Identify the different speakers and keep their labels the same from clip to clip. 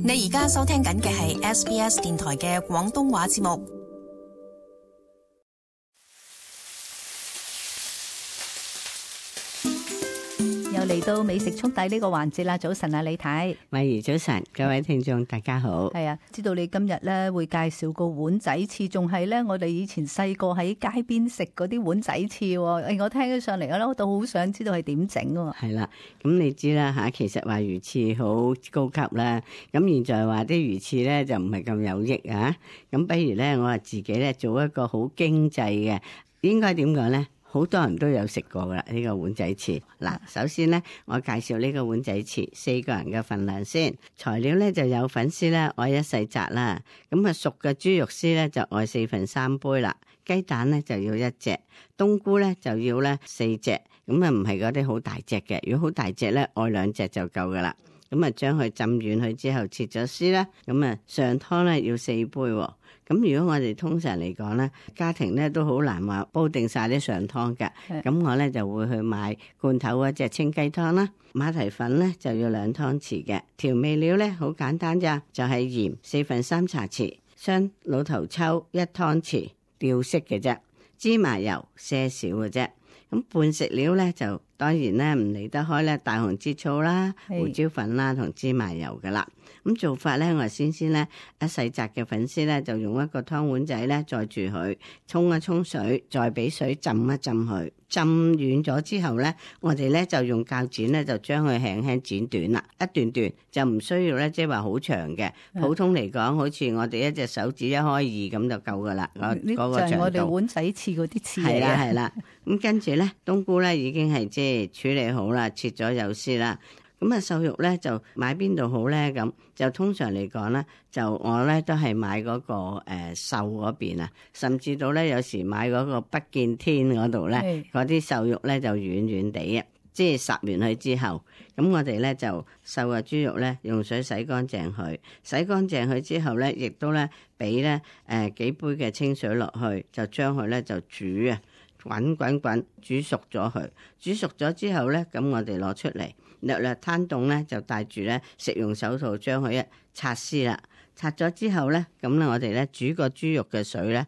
Speaker 1: 你而家收聽緊嘅係 SBS 電台嘅廣東話節目。
Speaker 2: 又嚟到美食速遞呢個環節啦！早晨啊，李太，
Speaker 3: 慧怡早晨，各位聽眾大家好。
Speaker 2: 係啊，知道你今日咧會介紹個碗仔翅，仲係咧我哋以前細個喺街邊食嗰啲碗仔翅。我聽起上嚟咧，我都好想知道係點整㗎。
Speaker 3: 係啦，咁你知啦吓，其實話魚翅好高級啦。咁現在話啲魚翅咧就唔係咁有益啊。咁不如咧，我話自己咧做一個好經濟嘅，應該點講咧？好多人都有食過噶啦，呢個碗仔翅。嗱，首先咧，我介紹呢個碗仔翅4個人嘅份量先。材料咧就有粉絲咧，愛1細紮啦。咁啊，熟嘅豬肉絲咧就愛3/4杯啦。雞蛋咧就要1隻，冬菇咧就要咧4隻。咁啊，唔係嗰啲好大隻嘅，如果好大隻咧，愛2隻就夠噶啦。咁啊，將佢浸軟佢之後切咗絲啦。咁啊，上湯咧要4杯喎。咁如果我哋通常嚟講咧，家庭咧都好難話煲定晒啲上湯嘅。咁我咧就會去買罐頭嗰隻清雞湯啦。馬蹄粉咧就要2湯匙嘅。調味料咧好簡單咋，就係鹽4/3茶匙，雙老頭抽1湯匙，調色嘅啫。芝麻油些少嘅啫。咁拌食料咧就當然咧唔離得開咧大紅浙醋啦、胡椒粉啦同芝麻油噶啦。咁做法咧，我先咧1細紮嘅粉絲咧就用一個湯碗仔咧載住佢，沖一沖水，再俾水浸一浸佢，浸軟咗之後咧，我哋咧就用鉸剪咧就將佢輕輕剪短啦，一段段就唔需要咧即係話好長嘅。普通嚟講，好似我哋一隻手指1開2咁就夠噶啦。嗰個長度。就係我哋
Speaker 2: 碗仔翅嗰啲翅嚟嘅。
Speaker 3: 係啦係啦，咁跟住咧冬菇咧已經係即係處理好啦，切咗有絲啦。咁啊，瘦肉咧就買邊度好咧？咁就通常嚟講咧，就我咧都係買嗰個瘦嗰邊啊，甚至到咧有時買嗰個不見天嗰度咧，嗰啲瘦肉咧就軟軟地啊，即係烚完佢之後，咁我哋咧就瘦嘅豬肉咧用水洗乾淨佢，洗乾淨佢之後咧，亦都咧俾咧幾杯嘅清水落去，就將佢咧就煮啊，滾煮熟咗佢，煮熟咗之後咧，咁我哋攞出嚟。略略攤凍咧，就帶住咧食用手套將佢一拆絲啦。拆咗之後咧，咁咧我哋咧煮個豬肉嘅水咧，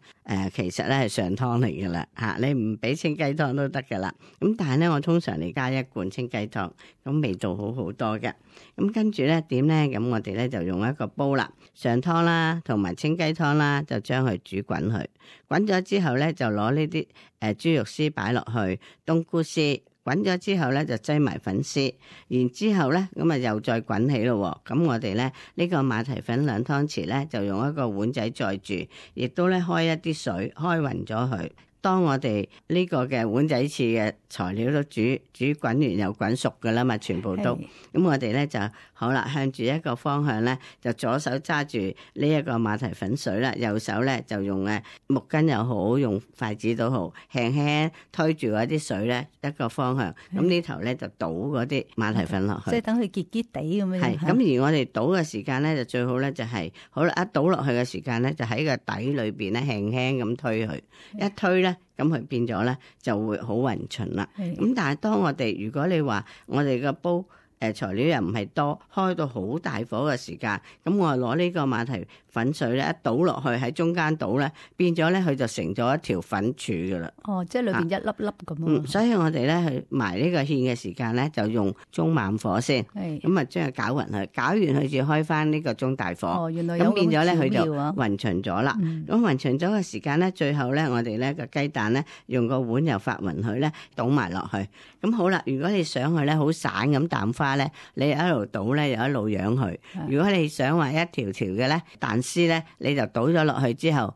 Speaker 3: 其實咧係上湯嚟噶啦嚇，你唔俾清雞湯都得噶啦。咁但係咧，我通常嚟加1罐清雞湯，咁味道好好多嘅。咁跟住咧點咧？咁我哋咧就用一個煲啦，上湯啦，同埋清雞湯啦，就將佢煮滾佢。滾咗之後咧，就攞呢啲豬肉絲擺落去，冬菇絲。滾咗之後咧，就擠埋粉絲，然之後咧，咁啊又再滾起咯。咁我哋咧呢個馬蹄粉2湯匙咧，就用一個碗仔載住，亦都咧開一啲水，開勻咗佢。當我哋呢個嘅碗仔翅嘅材料都煮滾完又滾熟噶啦嘛，全部都咁我哋咧就好啦，向住一個方向咧，就左手揸住呢一個馬蹄粉水啦，右手咧就用木巾又好，用筷子都好，輕輕推住嗰啲水咧一個方向，咁呢頭咧就倒嗰啲馬蹄粉落去，
Speaker 2: 即係等佢結結地咁樣。
Speaker 3: 係咁而我哋倒嘅時間咧就最好咧就係好啦，一倒落去嘅時間咧就喺個底裏邊咧輕輕咁推佢，一推咧。咁佢變咗咧就會好勻循啦。咁但係當我哋如果你話我哋個煲材料又唔係多，開到好大火嘅時間，咁我攞呢個馬蹄粉水咧一倒落去喺中間倒咧，變咗咧佢就成咗一條粉柱噶啦。
Speaker 2: 哦，即係裏邊一粒粒咁。
Speaker 3: 所以我哋咧去埋呢個芡嘅時間咧，就用中慢火先。咁啊將佢攪勻佢，攪完佢就開翻呢個中大火。
Speaker 2: 哦，原來有咁
Speaker 3: 變咗咧佢就
Speaker 2: 勻
Speaker 3: 循咗啦。咁勻循咗嘅時間咧，最後咧我哋咧個雞蛋咧用個碗又發勻佢咧，倒埋落去。咁好啦，如果你想佢咧好散咁蛋花咧，你一路倒咧又一路養佢。如果你想話一條條嘅咧蛋絲咧，你就倒咗落去之後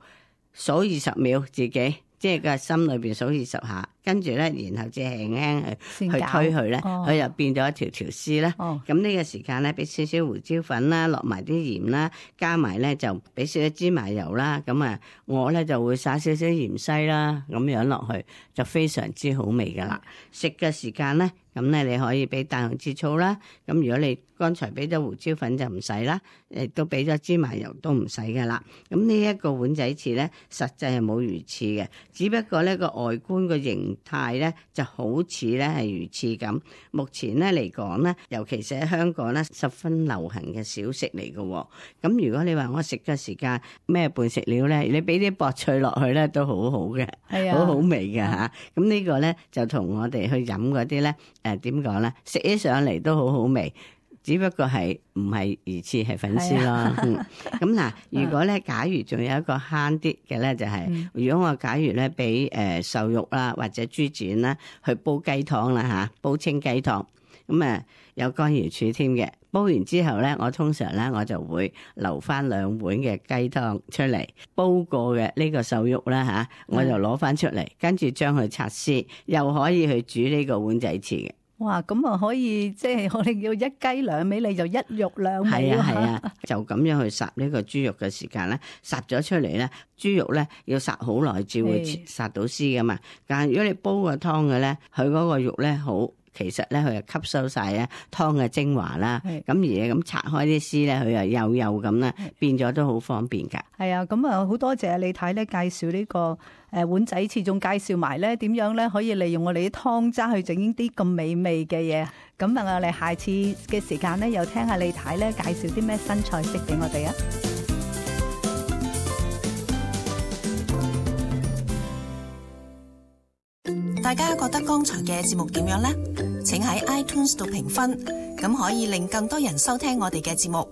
Speaker 3: 數20秒，自己即係個心裏邊數20下，跟住咧然後即係輕輕去推佢咧，佢就變咗一條條絲啦。咁呢個時間咧，俾少少胡椒粉啦，落埋啲鹽啦，加埋咧就俾少少芝麻油啦。咁啊，我咧就會撒少少芫茜啦，咁樣落去就非常之好味噶啦。食嘅時間咧，咁咧你可以俾大紅浙醋啦。咁如果你剛才俾咗胡椒粉就唔使啦，亦都俾咗芝麻油都唔使噶啦。咁呢一個碗仔翅咧，實際係冇魚翅嘅，只不過咧個外觀個形態咧就好似咧係魚翅咁。目前咧嚟講咧，尤其是喺香港咧，十分流行嘅小食嚟嘅。咁如果你話我食嘅時間咩伴食料咧，你俾啲薄脆落去咧都好好嘅，
Speaker 2: 係啊，
Speaker 3: 好好味嘅嚇。咁呢個咧就同我哋去飲嗰啲咧點講咧，食起上嚟都好好味。只不過係唔係魚翅係粉絲咯。咁嗱，如果咧假如仲有一個慳啲嘅咧，就係如果我假如咧俾瘦肉啦或者豬展啦去煲雞湯啦嚇，煲清雞湯，咁有乾瑤柱添嘅。煲完之後咧，我通常咧我就會留翻2碗嘅雞湯出嚟，煲過嘅呢個瘦肉啦嚇，我就攞翻出嚟，跟住將佢拆絲，又可以去煮呢個碗仔翅嘅。
Speaker 2: 哇，咁啊可以即係我哋叫一雞兩味，你就一肉兩味。
Speaker 3: 係啊，就咁樣去烚呢個豬肉嘅時間咧，烚咗出嚟咧，豬肉咧要烚好耐至會烚到絲噶嘛。但係如果你煲個湯嘅咧，佢嗰個肉咧好。其實咧，佢就吸收晒咧湯嘅精華啦。咁而咁拆開啲絲咧，佢又幼咁啦，變咗都好方便㗎。
Speaker 2: 係啊，咁啊好多謝李太咧介紹呢個碗仔翅，仲介紹埋咧點樣咧可以利用我哋啲湯渣去整啲咁美味嘅嘢。咁啊，我哋下次嘅時間咧，又聽下李太咧介紹啲咩新菜式俾我哋啊！
Speaker 1: 大家覺得剛才嘅節目點樣呢？請喺 iTunes 度評分，咁可以令更多人收聽我哋嘅節目。